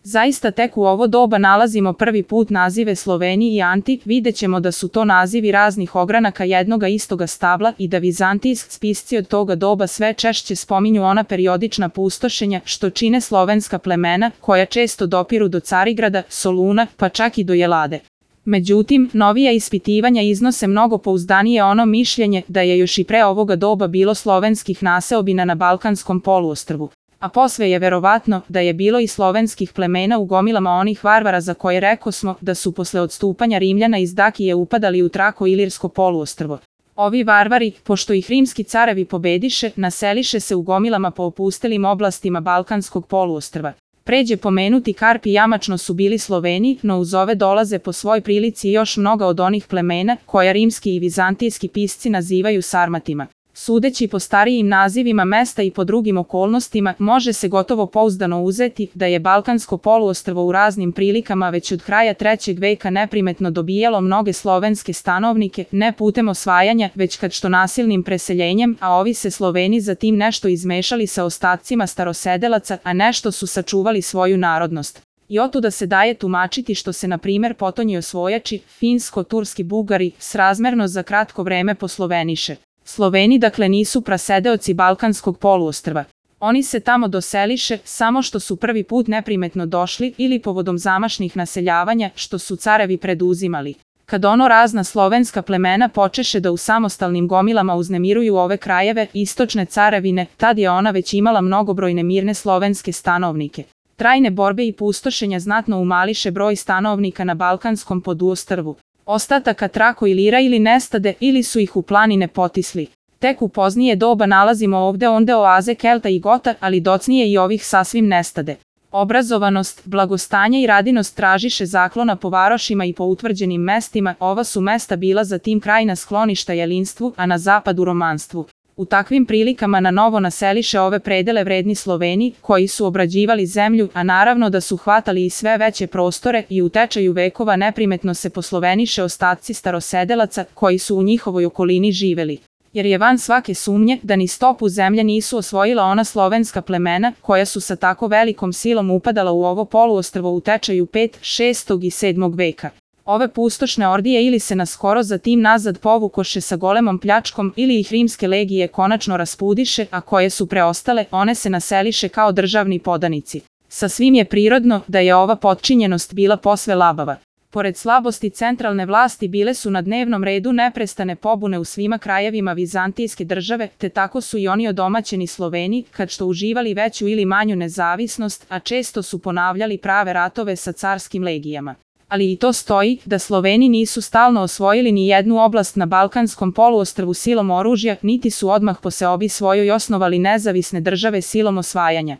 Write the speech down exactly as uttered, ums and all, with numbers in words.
Zaista tek u ovo doba nalazimo prvi put nazive Sloveni i Anti, vidjet ćemo da su to nazivi raznih ogranaka jednoga istoga stabla i da vizantijski spisci od toga doba sve češće spominju ona periodična pustošenja što čine slovenska plemena koja često dopiru do Carigrada, Soluna, pa čak i do Jelade. Međutim, novija ispitivanja iznose mnogo pouzdanije ono mišljenje da je još i pre ovoga doba bilo slovenskih naseobina na Balkanskom poluostrvu. A posve je verovatno da je bilo i slovenskih plemena u gomilama onih varvara za koje rekosmo da su posle odstupanja Rimljana iz Dakije upadali u Trako-Ilirsko poluostrvo. Ovi varvari, pošto ih rimski carevi pobediše, naseliše se u gomilama po opustelim oblastima Balkanskog poluostrva. Pređe pomenuti Karp i Jamačno su bili Sloveni, no uz ove dolaze po svoj prilici još mnoga od onih plemena koja rimski i vizantijski pisci nazivaju Sarmatima. Sudeći po starijim nazivima mesta i po drugim okolnostima, može se gotovo pouzdano uzeti da je Balkansko poluostrvo u raznim prilikama već od kraja trećeg veka neprimetno dobijalo mnoge slovenske stanovnike, ne putem osvajanja, već kad što nasilnim preseljenjem, a ovi se Sloveni zatim nešto izmešali sa ostacima starosedelaca, a nešto su sačuvali svoju narodnost. I otuda se daje tumačiti što se na primer potonji osvojači, finsko-turski Bugari, srazmerno za kratko vreme posloveniše. Sloveni dakle nisu prasedeoci Balkanskog poluostrva. Oni se tamo doseliše samo što su prvi put neprimetno došli ili povodom zamašnih naseljavanja što su carevi preduzimali. Kad ono razna slovenska plemena počeše da u samostalnim gomilama uznemiruju ove krajeve istočne carevine, tad je ona već imala mnogobrojne mirne slovenske stanovnike. Trajne borbe i pustošenja znatno umališe broj stanovnika na Balkanskom poduostrvu. Ostataka Trako-Ilira ili nestade ili su ih u planine potisli. Tek u poznije doba nalazimo ovde onde oaze Kelta i Gota, ali docnije i ovih sasvim nestade. Obrazovanost, blagostanje i radinost tražiše zaklona po varošima i po utvrđenim mestima, ova su mesta bila zatim krajna skloništa jelinstvu, a na zapadu romanstvu. U takvim prilikama na novo naseliše ove predele vredni Sloveni, koji su obrađivali zemlju, a naravno da su hvatali i sve veće prostore i u tečaju vekova neprimetno se posloveniše ostaci starosedelaca koji su u njihovoj okolini živeli. Jer je van svake sumnje da ni stopu zemlje nisu osvojila ona slovenska plemena koja su sa tako velikom silom upadala u ovo poluostrvo u tečaju petog, šestog i sedmog veka. Ove pustošne ordije ili se naskoro zatim nazad povukoše sa golemom pljačkom ili ih rimske legije konačno raspudiše, a koje su preostale, one se naseliše kao državni podanici. Sasvim je prirodno da je ova potčinjenost bila posve labava. Pored slabosti centralne vlasti bile su na dnevnom redu neprestane pobune u svima krajevima vizantijske države, te tako su i oni odomaćeni Sloveni, kad što uživali veću ili manju nezavisnost, a često su ponavljali prave ratove sa carskim legijama. Ali i to stoji da Sloveni nisu stalno osvojili ni jednu oblast na Balkanskom poluostrvu silom oružja, niti su odmah po seobi svojoj osnovali nezavisne države silom osvajanja.